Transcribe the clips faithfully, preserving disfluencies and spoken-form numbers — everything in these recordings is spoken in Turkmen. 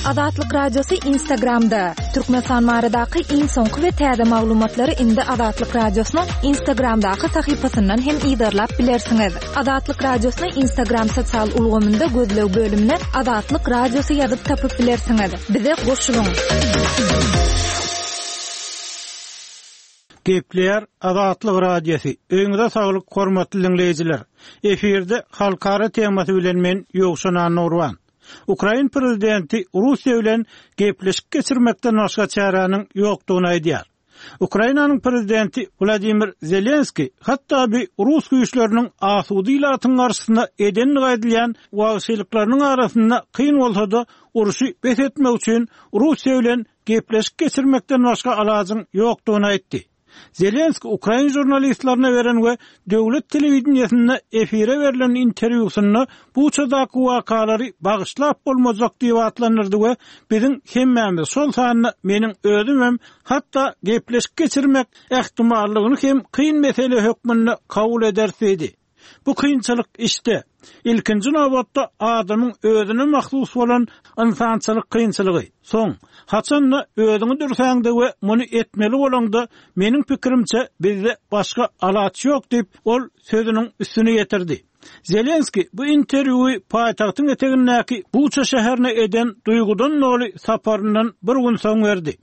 Azatlyk Radiosy Instagramda. Türkmenistan baradaky iň soňky we täze maglumatlary indi Azatlyk Radiosynyň Instagramdaky sahypasyndan hem yzarlap bilersiňiz. Azatlyk Radiosyny Instagram sosial ulgamynda gözleg bölümine Azatlyk Radiosy ýazyp tapyp bilersiňiz. Bize goşulyň. Gepleýär Azatlyk Radiosy. Öýüňize saglyk, hormatly diňleýjiler. Efirde halkara temasy bilen men Ýowşan Annurban. Ukrain prezidenti Russiýa bilen gepleşik geçirmekden başga çäräniň ýokdugyny aýdýar. Ukrainanyň prezidenti Wladimir Zelenski hatda bir rus güýçleriniň asuda ilatyň garşysyna edenligi aýdylýan wagşylyklarynyň arasynda kyn bolsa-da urşy bes etmek üçin Russiýa bilen gepleşik geçirmekden başga alajyň ýokdugyny aýtdy. Zelenski ukrain žurnalistlerine beren we döwlet telewideniýesinde efire berlen interwýusynda Buçadaky wakalary bagyşlap bolmajak diýip atlandyrdy we biziň hemmämiz, şol sanda meniň özüm hem hatda gepleşik geçirmek ähtimallygyny hem kyn mesele hökmünde kabul ederis diýdi. Bu kynçylyk işte, ilkinji nobatda adamyň özüne mahsus bolan ynsançylyk kynçylygy. Soň, haçanda özüňi dürsäňde we muny etmeli bolaňda, meniň pikirimçe bizde başga alaç ýok diýip, ol sözüniň üstüni ýetirdi. Zelenski bu interwýuy paýtagtyň etegindäki Buça şäherine eden duýgudan doly saparyndan bir gün soň berdi.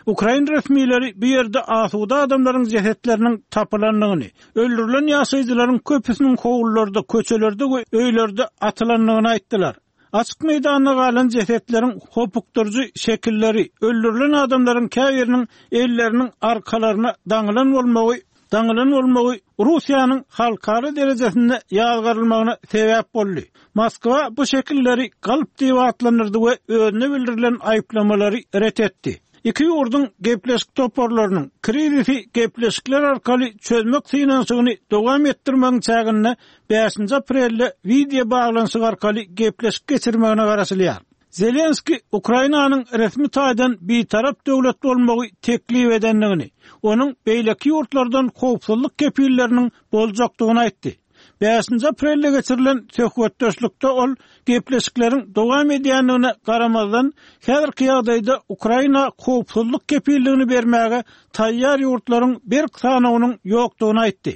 Ukrain resmileri bu ýerde asuda adamlaryň jesetleriniň tapylandygyny, öldürilen ýaşaýjylaryň köpüsiniň howlularda, köçelerde we öýlerde atylandygyny aýtdylar. Açyk meýdanda galan jesetleriň hopukdyryjy şekilleri, öldürilen adamlaryň käbiriniň elleriniň arkalaryna daňylan bolmagy daňylan bolmagy Russiýanyň halkara derejesinde ýazgarylmagyna sebäp boldy. Moskwa bu şekilleri galp diýip atlandyrdy we özüne bildirilen aýyplamalary ret etdi. Iki ýurduň gepleşik toparlarynyň krizisi gepleşikler arkaly çözmek synanyşygyny dowam etdirmegiň çäginde bäşinji aprelde wideo baglanyşyk arkaly gepleşik geçirmegine garaşylýar. Zelenski Ukrainanyň resmi taýdan bitarap döwlet bolmagy teklip edendigini, onuň beýleki ýurtlardan howpsuzlyk kepilleriniň boljakdygyny aýtdy. Bäşinji aprelde geçirilen söhbetdeşlikde ol gepleşikleriň dowam edýändigine garamazdan, häzirki ýagdaýda Ukraina howpsuzlyk kepilligini bermäge taýýar ýurtlaryň berk sanawynyň ýokdugyny aýtdy.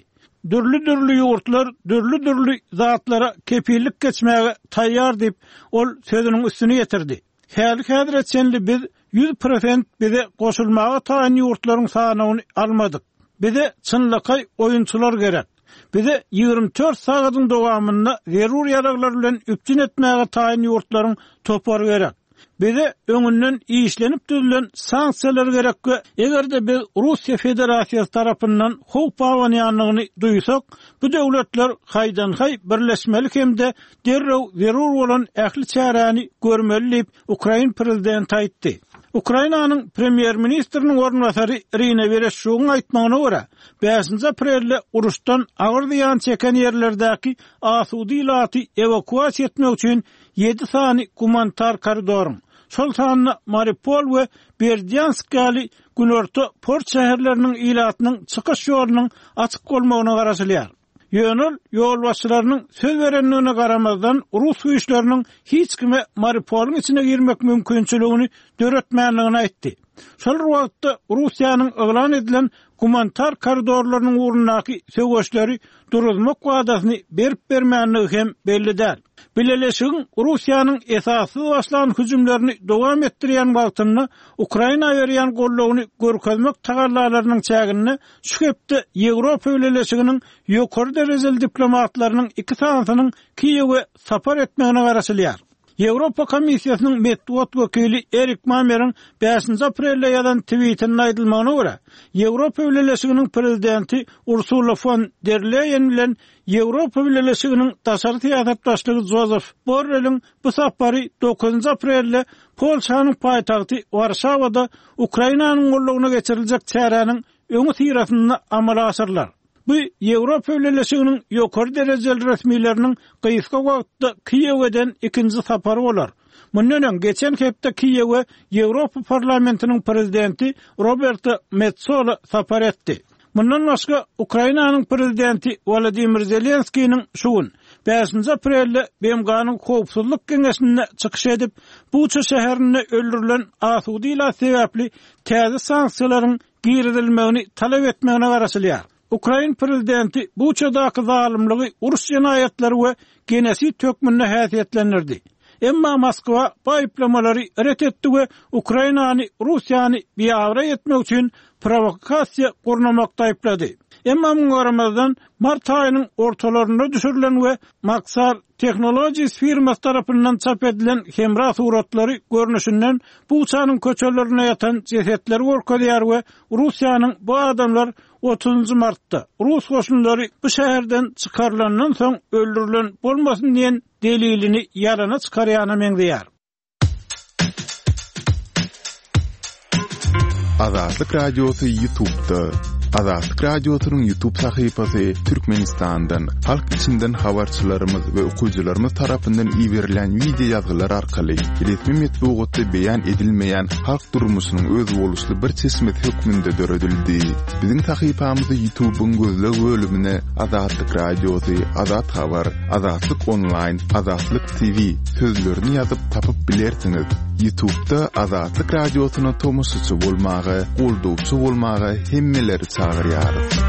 Dürli-dürli ýurtlar dürli-dürli zatlara kepillik geçmäge taýýar diýip, ol sözüniň üstüni ýetirdi. Häli-häzire çenli biz ýüz prosent bize goşulmaga taýyn ýurtlaryň sanawyny almadyk. Bize çynlakaý oýunçylar gerek. Bize ýigrimi dört sagadyň dowamynda zerur ýaraglar bilen üpjün etmäge taýyn ýurtlaryň topary gerek. Bize öňünden işlenip düzülen sanksiýalar gerek we eger-de biz Russiýa Federasiýasy tarapyndan howp abanýandygyny duýsak, bu döwletler haýdan-haý birleşmeli hem-de derrew zerur bolan ähli çäräni görmeli diýip, ukrain prezidenti aýtdy. Ukrainanyň premýer-ministriniň orunbasary Irina Wereşçugyň aýtmagyna görä, bäşinji aprelde uruşdan agyr zyýan çeken ýerlerdäki asuda ilaty ewakuasiýa etmek üçin ýedi sany gumanitar koridoryň, şol sanda Mariupol we Berdýansk ýaly günorta port şäherleriniň ilatynyň çykyş ýolunyň açyk bolmagyna garaşylýar. Ýöne ol ýolbaşçylarynyň söz berendigine garamazdan, rus güýçleriniň hiç kime Mariupolyň içine girmek mümkinçiligini döretmändigini aýtdy. Şol bir wagtda, Russiýanyň yglan edilen gumanitar koridorlarynyň ugrundaky söweşleri duruzmak wadasyny berip-bermändigi hem belli däl. Bileleşigiň Russiýanyň esassyz başlan hüjümlerini dowam etdirýän wagtynda Ukraina berýän goldawyny görkezmek tagallalarynyň çäginde şu hepde Ýewropa Bileleşiginiň ýokary derejeli diplomatlarynyň iki sanysynyň Kiýewe sapar etmegine garaşylýar. Ýewropa Komissiýasynyň metbugat wekili Erik Mameriň bäşinji aprelde ýazan twitinde aýdylmagyna görä, Ýewropa Bileleşiginiň prezidenti Ursula fon der Leýen bilen Ýewropa Bileleşiginiň daşary syýasat başlygy Jozef Borreliň bu sapary dokuzynjy aprelde Polşanyň paýtagty Warşawada Ukrainanyň goldawyna geçiriljek çäräniň öňüsyrasynda amala aşyrylar. Bu Ýewropa Bileleşiginiň ýokary derejeli resmileriniň gysga wagtda Kiýewe eden ikinji sapary bolar. Mundan öň, geçen hepde Kiýewe Ýewropa Parlamentiniň prezidenti Roberta Metsola sapar etdi. Mundan başga, Ukrainanyň prezidenti Wolodymyr Zelenskiniň şu gün, Bäşinji aprelde B M G-nyň Howpsuzlyk Geňeşinde çykyş edip, Buça şäherinde öldürilen asuda ilat sebäpli täze sanksiýalaryň girizilmegini talap etmegine garaşylýar. Ukrain prezidenti Buçadaky zalymlygy uruş jenaýatlary we genosid hökmünde häsiýetlendirdi. Emma Moskwa bu aýyplamalary ret etdi we Ukrainany Russiýany biabraý etmek üçin prowokasiýa gurnamakda aýyplady. Emma muňa garamazdan mart aýynyň ortalarynda düşürilen we Maxar Technologies firmasy tarapyndan çap edilen hemra suratlary görnüşinden Buçanyň köçelerinde ýatan jesetleri görkezýär we Russiýanyň bu adamlar otuzynjy martda Rus goşunlary bu şäherden çykarylandan soň öldürilen bolmasyn diýen delilini ýalana çykarýana meňzeýär. Azatlyk Radiosy YouTube'da. Azatlyk Radiosynyň YouTube sahypasy Türkmenistandan, halk içinden habarçylarymyz we okyjylarymyz tarapyndan iberilen wideo ýazgylar arkaly resmi metbugatda beýan edilmeýän halk durmuşynyň özboluşly bir çeşmesi hökmünde döredildi. Biziň sahypamyzy YouTube'yň gözleg bölümine Azatlyk Radiosy, Azat Habar, Azatlyk Online, Azatlyk T V sözlerini ýazyp tapyp bilersiňiz. YouTube'da Azatlyk Radiosyna tomaşaçy bolmaga, goldawçy bolmaga hemmeleri çagyrýarys.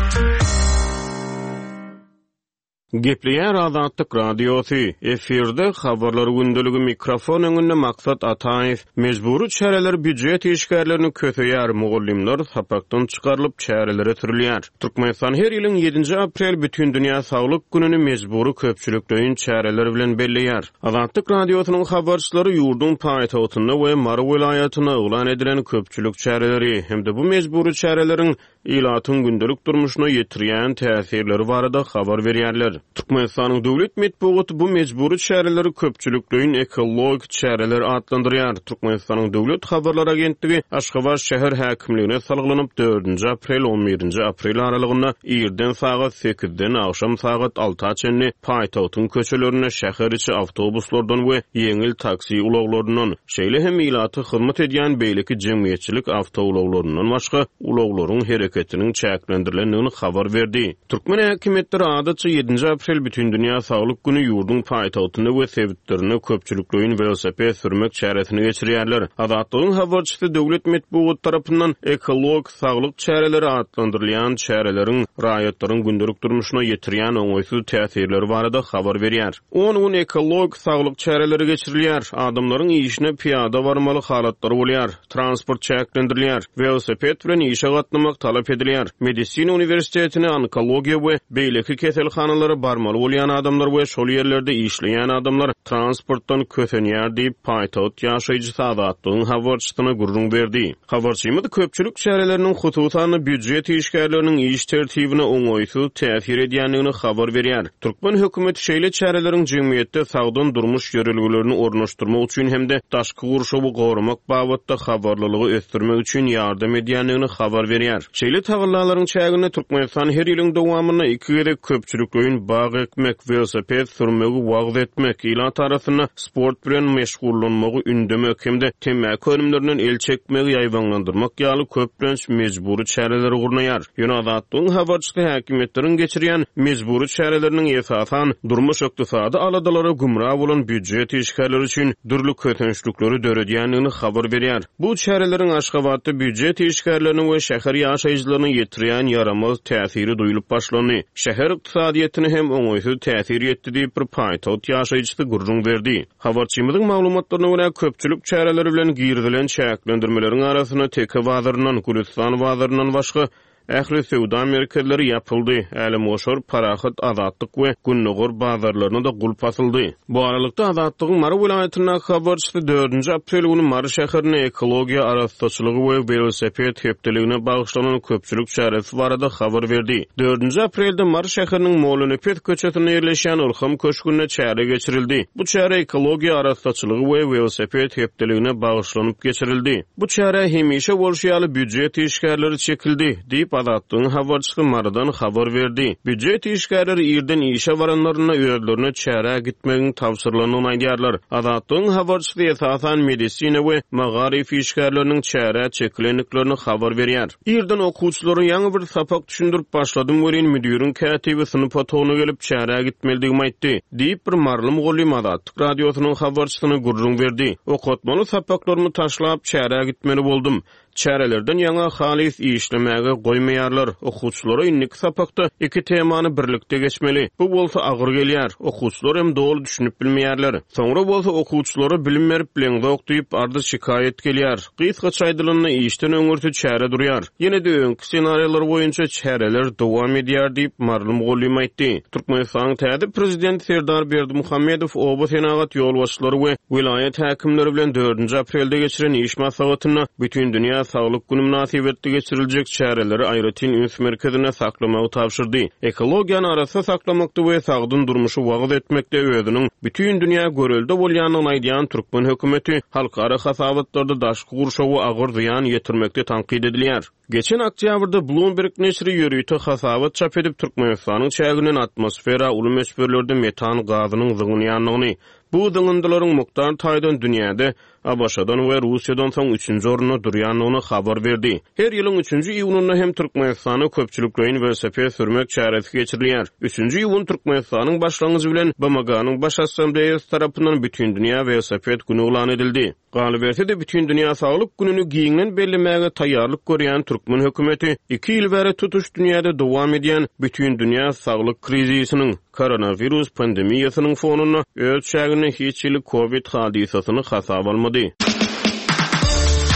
Gepleýär Azatlyk Radiosy. Efirde habarlar gündeligi, mikrofon öňünde Maksat Ataýew. Mejbury çäreler býujet işgärlerini köseýär, mugallymlar sapakdan çykarylyp çärelere sürülýär. Türkmenistan her ýylyň ýedinji aprel Bütindünýä Saglyk gününi mejbury köpçülikleýin çäreler bilen belleýär. Azatlyk Radiosynyň habarçylary ýurduň paýtagtynda we Mary welaýatynda yglan edilen köpçülik çäreleri hem-de bu mejbury çäreleriň ilatyň gündelik durmuşyna ýetirýän täsirleri barada habar berýärler. Türkmenistanyň döwlet metbugaty bu mejbury çäreleri köpçülikleýin ekologik çäreler atlandyrýar. Türkmenistanyň döwlet habarlar agentligi Aşgabat şäher häkimligine salgylanyp dördünji aprel on birinji aprel aralygynda irden sagat sekizden agşam sagat alta çenli paýtagtyň köçelerinde şäher içi awtobuslardan we ýeňil taksi ulaglaryndan, şeýle hem ilaty hyzmat edýän beýleki jemgyýetçilik awtoulaglaryndan başga ulaglaryň hereketiniň çäklendirilendigini habar berdi. Türkmen häkimiýetleri adatça ýedinji aprel Bütindünýä Saglyk günü ýurduň paýtagtynda we sebitlerinde köpçülikleýin welosiped sürmek çäresini geçirýärler. Azatlygyň habarçysy döwlet metbugat tarapyndan ekologik saglyk çäreleri atlandyrylýan çäreleriň raýatlaryň gündelik durmuşyna ýetirýän oňaýsyz täsirleri barada habar berýär. On gün ekologik saglyk çäreleri geçirilýär. Adamlaryň işine piýada barmaly halatlary bolýar. Transport çäklendirilýär. Welosiped bilen işe gatnamak talap edilýär. Medisina uniwersitetine, onkologiýa we beýleki keselhanalara barmaly bolýan adamlar we şol ýerlerde işleýän adamlar transportdan kösenýär diýip paýtagt ýaşaýjysy Azatlygyň habarçysyna gürrüň berdi. Habarçymyz köpçülik çäreleriniň hususan býujet işgärleriniň iş tertibine oňaýsyz täsir edýändigini habar berýär. Türkmen hökümeti şeýle çäreleriň jemgyýetde sagdyn durmuş ýörelgelerini ornaşdyrmak üçin hem-de daşky gurşawy goramak babatda habarlylygy ösdürmek üçin ýardam edýändigini habar berýär. Şeýle tagallalaryň çäginde Türkmenistan her ýylyň dowamynda iki gezek köpçülikleýin bag ekmek, welosiped sürmegi wagyz etmek, ilat arasynda sport bilen meşgullanmagy ündemek hem-de temmäki önümlerinden el çekmegi ýaýbaňlandyrmak ýaly köplenç mejbury çäreleri gurnaýar. Ýöne Azatlygyň habarçysy häkimiýetleriň geçirýän mejbury çäreleriniň esasan durmuş ykdysady aladalara gümra bolan býujet işgärleri üçin dürli kösençlikleri döredýändigini habar berýär. Bu çäreleriň Aşgabatda býujet işgärleriniň we şäher ýaşaýjylarynyň ýetirýän ýaramaz täsiri duýulyp başlandy. Şäher ykdysadyýetine hem oňaýsyz täsir ýetdi diýip bir paýtagt ýaşaýjysy gürrüň berdi. Habarçymyzyň maglumatlaryna görä köpçülik çäreleri bilen girizilen çäklendirmeleriň arasynda Teke bazaryndan, Gülistan bazaryndan başga ähli söwda merkezleri ýapyldy. Älemgoşar, Parahat, Azatlyk we Gündogar bazarlaryna da gulp asyldy. Bu aralykda Azatlygyň Mary welaýatyndaky habarçysy dördünji aprel günü Mary şäherinde ekologiýa arassaçylygy we welosiped hepdeligine bagyşlanan köpçülik çäresi barada habar berdi. Dördünji aprelde Mary şäheriniň Mollanepes köçesinde ýerleşýän Ylham köşgünde çäre geçirildi. Bu çäre ekologiýa arassaçylygy we welosiped hepdeligine bagyşlanyp geçirildi. Bu çäre hemişe bolşy ýaly býujet işgärleri çekildi diýip Diýip, Azatlygyň habarçysy Marydan habar berdi. Býujet işgärleri irden işe baranlarynda özlerine çärä gitmegiň tabşyrylandygyny aýdýarlar. Azatlygyň habarçysy esasan medisina we magaryf işgärleriniň çärä çekilendiklerini habar berýär. Irden okuwçylara ýaňy bir sapak düşündirip başladym welin, müdiriň kätibi synp otagyna gelip, çärä gitmelidigimi aýtdy, diýip, bir maryly mugallym Azatlyk Radiosynyň habarçysyna gürrüň berdi. Okatmaly sapaklarymy taşlap, çärä gitmeli boldum. Çärelerden ýaňa halys işlemäge goýmaýarlar. Okuwçylara indiki sapakda iki temany birlikde geçmeli. Bu bolsa agyr gelýär. Okuwçylar hem doly düşünip bilmeýärler. Soňra bolsa okuwçylara bilim berip bileňzok diýip arz-şikaýat gelýär. Gysgaça aýdylanda işden öňürti çäre durýar. Ýene-de öňki ssenariýalar boýunça çäreler dowam edýär diýip, maryly mugallym aýtdy. Türkmenistanyň täze prezidenti Serdar Berdimuhamedow oba senagat ýolbaşçylary we welaýat häkimleri bilen dördünji aprelde geçiren iş maslahatynda Bütindünýä saglyk güni mynasybetli geçiriljek çäreleri aýratyn üns merkezinde saklamagy tabşyrdy. Ekologiýany arassa saklamakda we sagdyn durmuşy wagyz etmekde özüniň bütin dünýä görelde bolýandygyny aýdýan türkmen hökümeti halkara hasabatlarda daşky gurşawa agyr zyýan ýetirmekde tankyt edilýär. Geçen oktýabrda Bloomberg neşiri ýörite hasabat çap edip, Türkmenistanyň çäginden atmosfera uly möçberlerde metan gazynyň zyňylýandygyny, bu zyňyndylaryň mukdar taýdan dünýäde ABŞ-dan we Russiýadan soň üçünji orunda durýandygyny habar berdi. Her ýylyň üçünji iýunynda hem Türkmenistanda köpçülikleýin welosiped sürmek çäresi geçirilýär. Üçünji iýun Türkmenistanyň başlangyjy bilen B M G-nyň Baş Assambleýasy tarapyndan Bütindünýä welosiped güni yglan edildi. Galyberse-de Bütindünýä saglyk gününi giňden bellemäge taýýarlyk görýän türkmen hökümeti iki ýyl bäri tutuş dünýäde dowam edýän Bütindünýä saglyk krizisiniň, koronawirus pandemiýasynyň fonunda öz çäginde hiç hili Covid hadysasyny hasaba almady.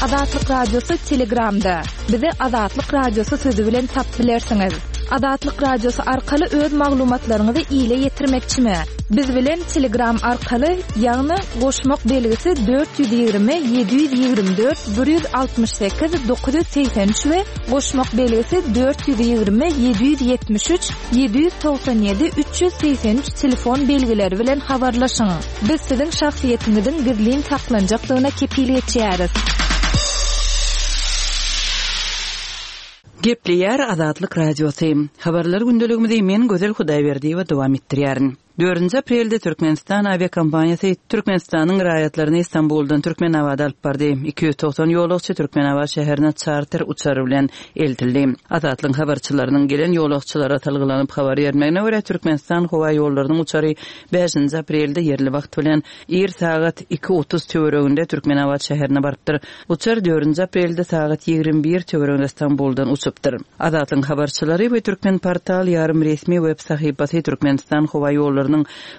Azatlyk Radiosy Telegramda. Bizi Azatlyk Radiosy sözi bilen tapyp bilersiňiz. Azatlyk Radiosy arkaly öz maglumatlaryňyzy ile ýetirmekçimi? Biz bilen Telegram arkaly, ýagny goşmak belgisi dört ýüz ýigrimi ýedi ýüz ýigrimi dört bir ýüz altmyş sekiz dokuz ýüz segsen üç we goşmak belgisi dört ýüz ýigrimi ýedi ýüz ýetmiş üç ýedi ýüz togsan ýedi üç ýüz segsen üç telefon belgileri bilen habarlaşyň. Biz siziň şahsyýetiňiziň gizlin saklanjakdygyna kepil geçýäris. Gepleýär Azatlyk Radiosy. Habarlar gündeligimizi men Gözel Hudaýberdiýewa dowam etdirýärin. Dördünji aprelde Türkmenistan awiakompaniýasy Türkmenistanyň raýatlaryny Istanbuldan Türkmenabada alyp bardy. Iki ýüz togsan ýolagçy Türkmenabat şäherine çarter uçary bilen eltildi. Azatlygyň habarçylarynyň gelen ýolagçylara salgylanyp habar bermegine görä Türkmenistan howa ýollarynyň uçary bäşinji aprelde ýerli wagt bilen ir sagat iki otuz töwereginde Türkmenabat şäherine barypdyr. Uçar dördünji aprelde sagat ýigrimi bir töwereginde Istanbuldan uçupdyr. Azatlygyň habarçylary we Türkmen portal ýarym resmi web sahypasy Türkmenistan howa ýollarynyň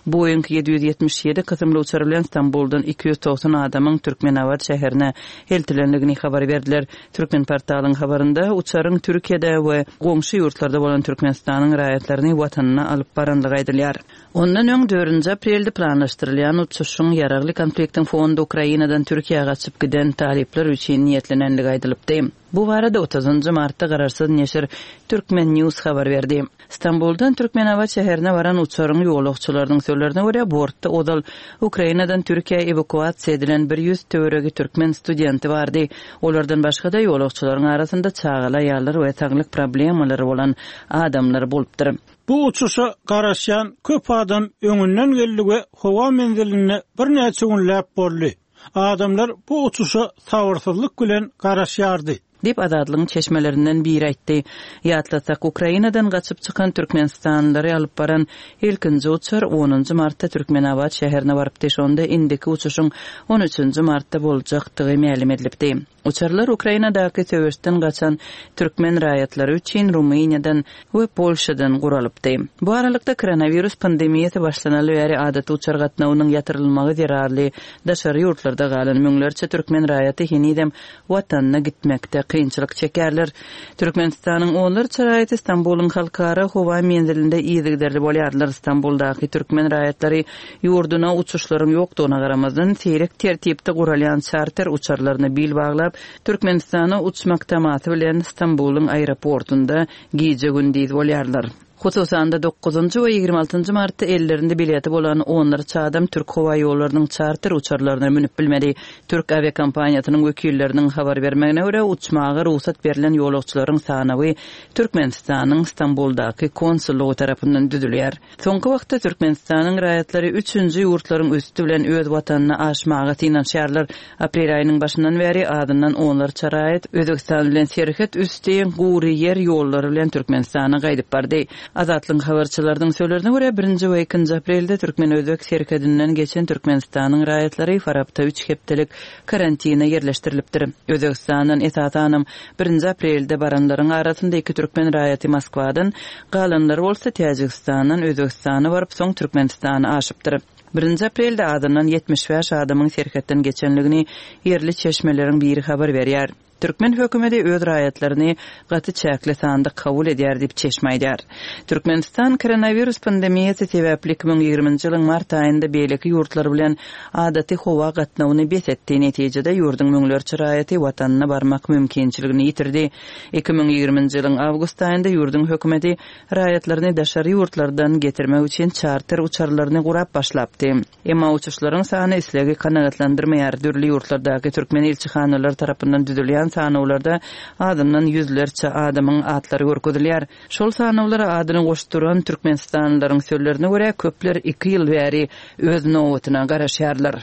Boeing ýedi ýüz ýetmiş ýedi kysymly uçary bilen Istanbuldan iki ýüz togsan adamyň Türkmenabat şäherine eltilendigini habar berdiler. Türkmen portalyň habarynda uçaryň Türkiýede we goňşy ýurtlarda bolan Türkmenistanyň raýatlaryny watanyna alyp barandygy aýdylýar. Ondan öň dördünji aprelde planlaşdyrylýan uçuşyň ýaragly konfliktiň fonunda Ukrainadan Türkiýä gaçyp giden talyplar üçin niýetlenendigi aýdylypdy. Bu barada otuzynjy martda garaşsyz neşir Türkmen News habar berdi. Istanbuldan Türkmenabat şäherine baran uçaryň ýolagçylarynyň sözlerine görä bortda ozal Ukrainadan Türkiýä ewakuasiýa edilen bir ýüz töweregi türkmen studenti bardy. Olardan başga-da ýolagçylaryň arasynda çagalar, aýallar we saglyk problemalary bolan adamlar bolupdyr. Bu uçuşa garaşýan köp adam öňünden geldi we howa menziline birnäçe günläp boldy. Adamlar bu uçuşa sabyrsyzlyk bilen garaşýardy. Diýip Azatlygyň çeşmelerinden biri aýtdy. Ýatlasak, Ukrainadan gaçyp çykan Türkmenistanlylary alyp baran ilkinji uçar onunjy martda Türkmenabat şäherine barypdy. Şonda indiki uçuşyň on üçünji martda boljakdygy mälim edilipdi. Uçarlar Ukrainadaky söweşden gaçan türkmen raýatlary üçin Rumyniýadan we Polşadan guralypdy. Bu aralykda koronawirus pandemiýasy başlanaly bäri adaty uçar gatnawynyň ýatyrylmagy zerarly daşary ýurtlarda galan müňlerçe türkmen raýaty henizem watanyna gitmekde kynçylyk çekerler. Türkmenistanyň onlarça raýaty Istanbulyň halkara howa menzilinde yzygiderli bolýarlar. Istanbuldaky türkmen raýatlary ýurduna uçuşlaryň ýokdugyna garamazdan seýrek tertipde guralýan çarter uçarlaryna bil baglap Türkmenistana uçmak tamasy bilen Istanbulyň aeroportunda gije gündiz bolýarlar. Hususan-da dokuzynjy we ýigrimi altynjy martda ellerinde bileti bolan onlarça adam Türk howa ýollarynyň çarter uçarlaryna münüp bilmedi. Türk awiakompaniýasynyň wekilleriniň habar bermegine görä, uçmaga rugsat berlen ýolagçylaryň sanawy Türkmenistanyň Stambuldaky konsullygy tarapyndan düzülýär. Soňky wagtda Türkmenistanyň raýatlary üçünji ýurtlaryň üsti bilen öz watanyna aşmaga synanyşýarlar. Aprel aýynyň başyndan bäri azyndan onlarça raýat Özbegistan bilen serhet üsti gury ýer ýollary bilen Türkmenistana gaýdyp bardy. Azatlygyň habarçylarynyň sözlerine görä, birinji we ikinji aprelde Türkmen-Özbek serhedinden geçen Türkmenistanyň raýatlary Farapda üç hepdelik karantina ýerleşdirilipdir. Özbegistandan esasanam birinji aprelde baranlaryň arasynda iki türkmen raýaty Moskwadan, galanlary bolsa Täjigistandan Özbegistana baryp, soň Türkmenistana aşypdyr. Birinji aprelde azyndan ýetmiş bäş adamyň serhetden geçenligini ýerli çeşmeleriň biri habar berýär. Türkmen hökümeti öz raýatlaryny gaty çäkli sanda kabul edýär diýip çeşme aýdýar. Türkmenistan koronawirus pandemiýasy sebäpli iki müň ýigriminji ýylyň mart aýynda beýleki ýurtlar bilen adaty howa gatnawyny bes etdi. Netijede ýurduň müňlerçe raýaty watanyna barmak mümkinçiligini ýitirdi. Iki müň ýigriminji ýylyň awgust aýynda ýurduň hökümeti raýatlaryny daşary ýurtlardan getirmek üçin çarter uçarlaryny gurap başlapdy. Emma uçuşlaryň sany islegi kanagatlandyrmaýar. Dürli ýurtlardaky türkmen ilçihanalary tarapyndan düzülýän sanawlarda azyndan ýüzlerçe adamyň atlary görkezilýär. Şol sanawlara adyny goşduran türkmenistanlylaryň sözlerine görä, köpler iki ýyl bäri öz nobatyna garaşýarlar.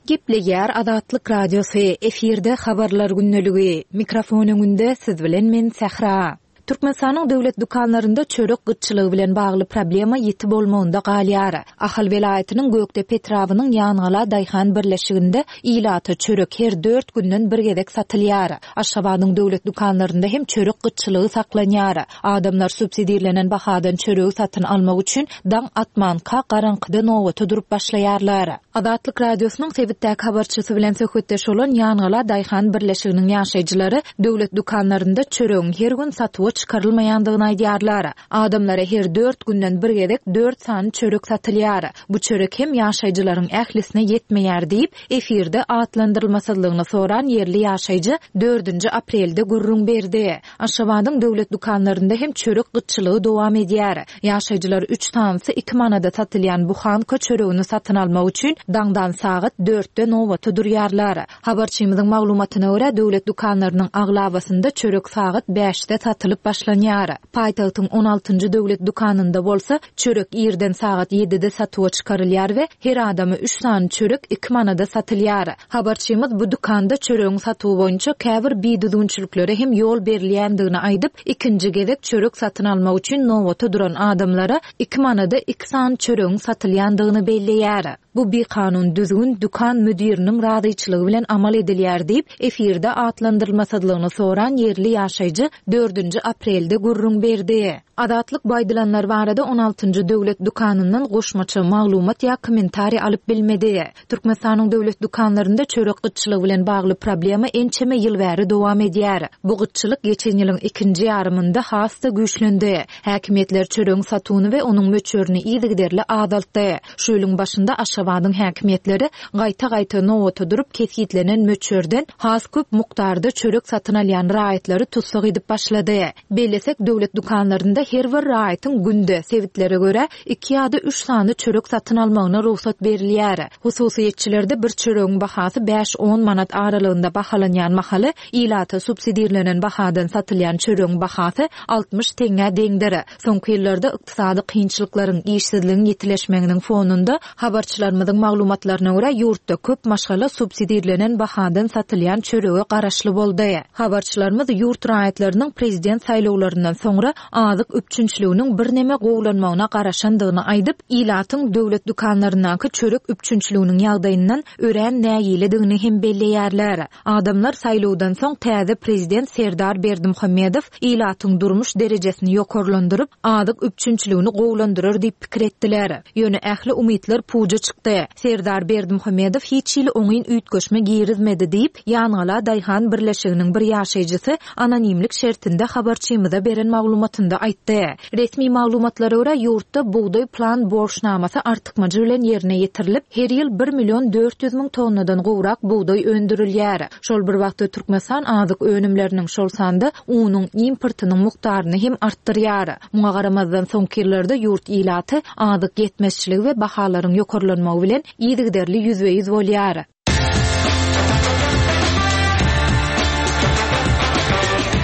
Gepleýär Azatlyk Radiosy, efirde habarlar gündeligi. Mikrofon öňünde siz bilen men Sähra. Türkmenistanyň döwlet dükanlarynda çörek gytçylygy bilen bagly problema ýiti bolmagynda galýar. Ahal welaýatynyň Gökdepe etrabynyň Ýangala daýhan birleşiginde ilata çörek her dört günden bir gezek satylýar. Aşgabadyň döwlet dükanlarynda hem çörek gytçylygy saklanýar. Adamlar subsidirlenen bahadan çöregi satyn almak üçin daň atmanka garaňkyda nobata durup başlaýarlar. Azatlyk Radiosynyň sebitdäki habarçysy bilen söhbetdeş bolan Ýangala daýhan birleşiginiň ýaşaýjylary döwlet dükanlarynda çöregiň her gün satuwa çykarylmaýandygyny aýdýarlar. Adamlara her dört günden bir gezek dört sany çörek satylýar. Bu çörek hem ýaşaýjylaryň ählisine ýetmeýär diýip, efirde atlandyrylmasyzlygyny soran ýerli ýaşaýjy dördünji aprelde gürrüň berdi. Aşgabadyň döwlet dükanlarynda hem çörek gytçylygy dowam edýär. Ýaşaýjylar üç sanysy iki manada satylýan buhanka çöregini satyn almak üçin daňdan sagat dörtde nobata durýarlar. Habarçymyzyň maglumatyna görä, döwlet dükanlarynyň aglabasynda çörek sagat bäşde satylyp başlanýar. Paýtagtyň on altynjy döwlet dükanynda bolsa çörek irden sagat ýedide satuwa çykarylýar we her adama üç sany çörek iki manada satylýar. Habarçymyz bu dükanda çöregiň satuwy boýunça käbir bidüzgünçiliklere hem ýol berilýändigini aýdyp, ikinji gezek çörek satyn almak üçin nobata duran adamlara iki manada iki sany çöregiň satylýandygyny belleýär. Bu bir kanun düzgün dükan müdiriniň razyçylygy bilen amal edilýär diýip, efirde atlandyrylmasyzlygyny soran ýerli ýaşaýjy dördünji aprelde gürrüň berdi. Azatlyk baýdylanlar barada on altynjy döwlet dükanyndan goşmaça maglumat ýa kommentariý alyp bilmedi. Türkmenistanyň döwlet dükanlarynda çörek gytçylygy bilen bagly problema ençeme ýyl bäri dowam edýär. Bu gytçylyk geçen ýylyň ikinji ýarymynda has-da güýçlendi. Häkimiýetler çöregiň satuwyny we onuň möçberini yzygiderli azaltdy. Şu ýylyň başynda Aşgabadyň häkimiýetleri gaýta-gaýta nobata durup kesgitlenen möçberden has köp mukdarda çörek satyn alýan raýatlary tussag edip başlady. Bellesek, döwlet dükanlarynda her bir raýatyň günde sebitlere görä iki ýa-da üç sany çörek satyn almagyna rugsat berilýär. Hususyýetçilerde bir çöregiň bahasy bäş-on manat aralygynda bahalanýan mahaly ilata subsidirlenen bahadan satylýan çöregiň bahasy altmyş teňňä deňdir. Soňky ýyllarda ykdysady kynçylyklaryň, işsizligiň ýetileşmeginiň fonunda habarçylarymyzyň maglumatlaryna görä ýurtda köp maşgala subsidirlenen bahadan satylýan çörege garaşly boldy. Habarçylarymyz ýurt raýatlarynyň prezident saýlawlaryndan soňra azyk üpjünçiliginiň birneme gowulanmagyna garaşandygyny aýdyp, ilatyň döwlet dükanlaryndaky çörek üpjünçiliginiň ýagdaýyndan örän nägiledigini hem belleýärler. Adamlar saýlawdan soň täze prezident Serdar Berdimuhamedow ilatyň durmuş derejesini ýokarlandyryp, azyk üpjünçiligini gowulandyrar diýip pikir etdiler. Ýöne ähli umytlar puja çykdy. Serdar Berdimuhamedow hiç hili oňyn üýtgeşme girizmedi diýip, Ýangala daýhan birleşiginiň bir ýaşaýjysy anonimlik şertinde habarçy habarçymyza beren maglumatynda aýtdy. Resmi maglumatlara görä, ýurtda bugdaý plan borçnamasy artykmajy bilen ýerine ýetirilip, her ýyl bir million dört ýüz müň tonnadan gowrak bugdaý öndürilýär. Şol bir wagtda Türkmenistan azyk önümleriniň, şol sanda unuň importynyň mukdaryny hem artdyrýar. Muňa garamazdan soňky ýyllarda ýurt ilaty azyk ýetmezçiligi we bahalaryň ýokarlanmagy bilen yzygiderli ýüzbe-ýüz bolýar.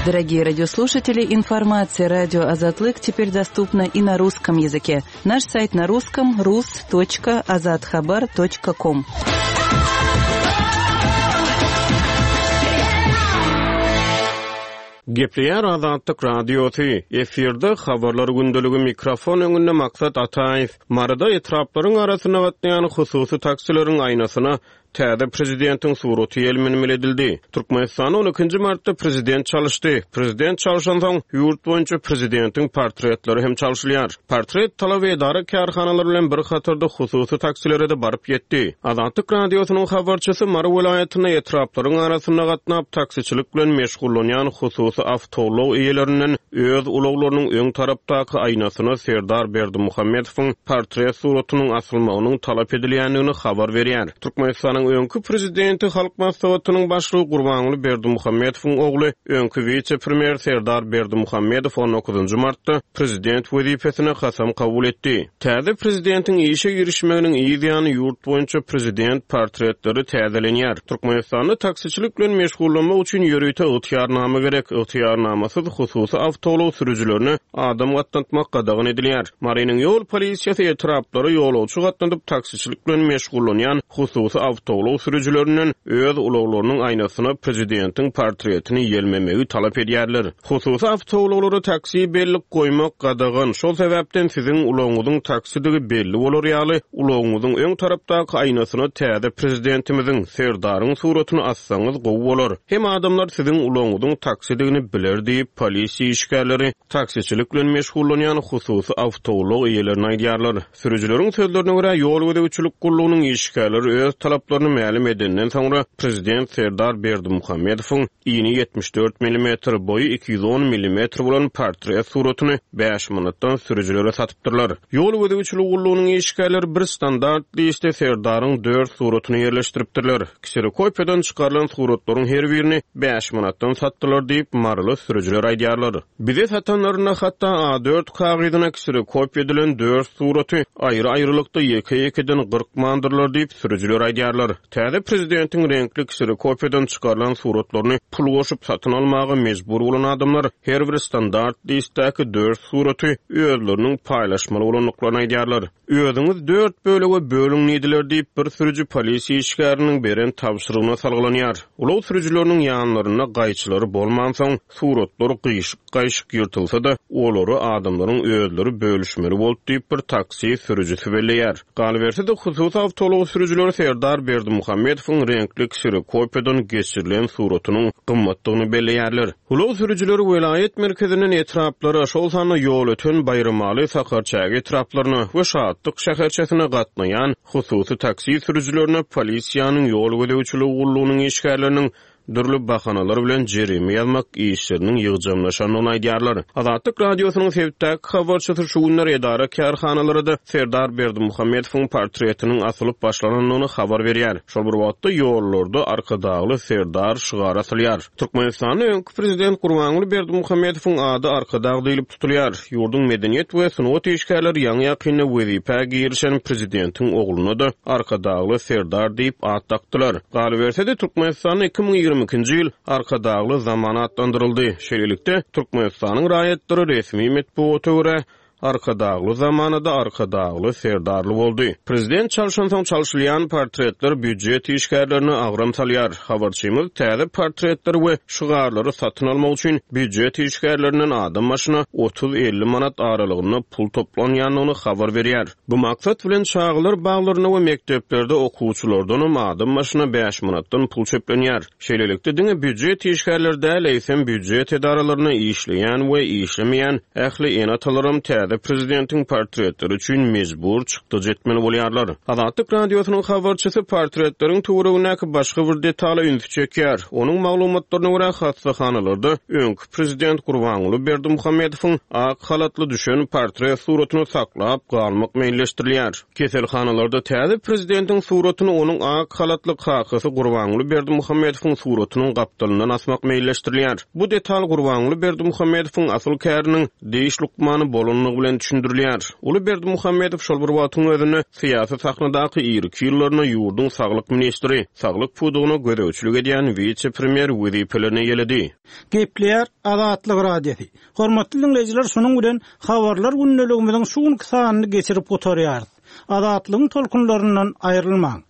Дорогие радиослушатели, информация радио Азатлык теперь доступна и на русском языке. Наш сайт на русском rus точка azathabar точка ком. Gepleýär Azatlyk Radiosy, efirde habarlar gündeligi mikrofon öňünde Maksat Ataýew. Maryda etraplaryň arasynda gatnaýan hususy taksileriň aýnasyna täze prezidentiň suraty ýelmenmeli edildi. Türkmenistan on ikinji martda prezident çalyşdy. Prezident çalşansoň ýurt boýunça prezidentiň portretleri hem çalşylýar. Portret talaby edara kärhanalary bilen bir hatarda hususy taksilere de baryp ýetdi. Azatlyk Radiosynyň habarçysy Mary welaýatynda etraplaryň arasynda gatnap taksiçilik bilen meşgullanýan hususy awtoulag eýelerinden öz ulaglarynyň öň tarapdaky aýnasyna Serdar Berdimuhamedowyň portret suratynyň asylmagynyň talap edilýändigini habar berýär. Türkmenistanyň öňki prezidenti Halk Maslahatynyň başlygy Gurbanguly Berdimuhamedowyň ogly, öňki wise-premýer Serdar Berdimuhamedow on dokuzynjy martda prezident wezipesine kasam kabul etdi. Täze prezidentiň işe girişmeginiň yz ýany ýurt boýunça prezident portretleri täzelenýär. Türkmenistanda taksiçilik bilen meşgullanmak üçin ýörite ygtyýarnama gerek. Ygtyýarnamasyz hususy awtoulag sürüjilerine adam gatnatmak gadagan edilýär. Marynyň ýol polisiýasy etraplara ýolagçy gatnadyp taksiçilik bilen meşgullanýan hususy awtoulag sürüjilerinden öz ulaglarynyň aýnasyna prezidentiň portretini ýelmemegi talap edýärler. Hususy awtoulaglara taksi bellik goýmak gadagan. Şol sebäpden siziň ulagyňyzyň taksidigi belli bolar ýaly, ulagyňyzyň öň tarapdaky aýnasyna täze prezidentimiziň Serdaryň suratyny assaňyz gowy bolar. Hem adamlar siziň ulagyňyzyň taksidigini biler diýip, polisiýa işgärleri taksiçilik bilen meşgullanýan hususy awtoulag eýelerine aýdýarlar. Sürüjileriň sözlerine görä, ýol gözegçilik gullugynyň işgärleri öz talaplaryny mälim edenden soňra prezident Serdar Berdimuhamedowyň ini ýetmiş dört millimetr, boýy iki ýüz on millimetr bolan portret suratyny bäş manatdan sürüjilere satypdyrlar. Ýol gözegçilik gullugynyň işgärleri bir standart liste Serdaryň dört suratyny ýerleşdiripdirler. Kserokopiýadan çykarylan suratlaryň her birini bäş manatdan satdylar diýip maryly sürüjiler aýdýarlar. Bize satanlaryna hatda A dört kagyzyna kserokopiýa edilen dört suraty aýry-aýrylykda ýeke-ýekeden gyrkmandyrlar diýip sürüjiler aýdýarlar. Täze prezidentiň reňkli kserokopiýadan çykarylan suratlaryny pul goşup satyn almaga mejbur bolan adamlar her bir standart listdäki dört suraty özleriniň paýlaşmaly bolandyklaryny aýdýarlar. Özüňiz dört bölege bölüň diýdiler diýip bir sürüji polisiýa işgäriniň beren tabşyrygyna salgylanýar. Ulag sürüjileriniň ýanlarynda gaýçylary bolmansoň suratlar gyýşyk-gaýşyk ýyrtylsa da olary adamlaryň özleri bölüşmeli boldy diýip bir taksi sürüjisi belleýär. Galyberse-de hususy awtoulag sürüjileri Serdar Berdimuhamedowyň reňkli kserokopiýadan geçirilen suratynyň gymmatdygyny belleýärler. Ulag sürüjileri welaýat merkezinden etraplara, şol sanda Ýolöten, Baýramaly, Sakarçäge etraplaryna we Şatlyk şäherçesine gatnaýan hususy taksi sürüjilerine polisiýanyň ýol gözegçiligi gullugynyň işgärleriniň dürli bahanalar bilen jerime ýazmak işleriniň ýygjamlaşandygyny aýdýarlar. Azatlyk Radiosynyň sebitdäki habarçysy şu günler edara kärhanalara-da Serdar Berdimuhamedowyň portretiniň asylyp başlanandygyny habar berýär. Şol bir wagtda ýollarda Arkadagly Serdar şygary asylýar. Türkmenistanyň öňki prezident Gurbanguly Berdimuhamedowyň ady Arkadag diýlip tutulýar. Ýurduň medeniýet we sungat işgärleri ýaňy-ýakynda wezipä girişen prezidentiň ogluna da Arkadagly Serdar diýip at dakdylar. Galyberse-de Türkmenistanyň iki müň ýigrimi ikinji ýyl Arkadagly zaman atlandyryldy. Şeýlelikde Türkmenistanyň raýatlary resmi metbugata görä Arkadagly zamanada Arkadagly Serdarly boldy. Prezident çalşansoň çalşylýan portretler býujet işgärlerine agram salýar. Habarçymyz täze portretleri we şygarlary satyn almak üçin býujet işgärlerinden adam başyna otuz elli manat aralygynda pul toplanýandygyny habar berýär. Bu maksat bilen çagalar baglaryna we mekdeplerde okuwçylardan hem adam başyna bäş manatdan pul çöplenýär. Şeýlelikde diňe býujet işgärleri däl, eýsem býujet edaralaryna işleýän we işlemeýän ähli ene-atalaram täze täze prezidentiň portretleri üçin mejbur çykdajy etmeli bolýarlar. Azatlyk Radiosynyň habarçysy portretleriň töweregindäki başga bir detala ünsi çekýär. Onuň maglumatlaryna görä, hassahanalarda öňki prezident Gurbanguly Berdimuhamedowyň ak halatly düşen portret suratyny saklap galmak meýilleşdirilýär. Keselhanalarda täze prezidentiň suratyny onuň ak halatly kakasy Gurbanguly Berdimuhamedowyň suratynyň gapdalyndan asmak meýilleşdirilýär. Bu detal Gurbanguly Berdimuhamedowyň asyl käriniň diş lukmany bolanlygy bilen düşündirilýär. Uly Berdimuhamedow şol bir wagtyň özünde syýasy sahnadaky irki ýyllarynda ýurduň saglyk ministri, saglyk pudagyna gözegçilik edýän wise-premýer wezipelerini eýeledi. Gepleýär Azatlyk Radiosy. Hormatly dinleýjiler, şunuň bilen habarlar gündeligimiziň şu günki sanyny geçirip gutarýarys. Azatlygyň tolkunlaryndan aýrylmaň.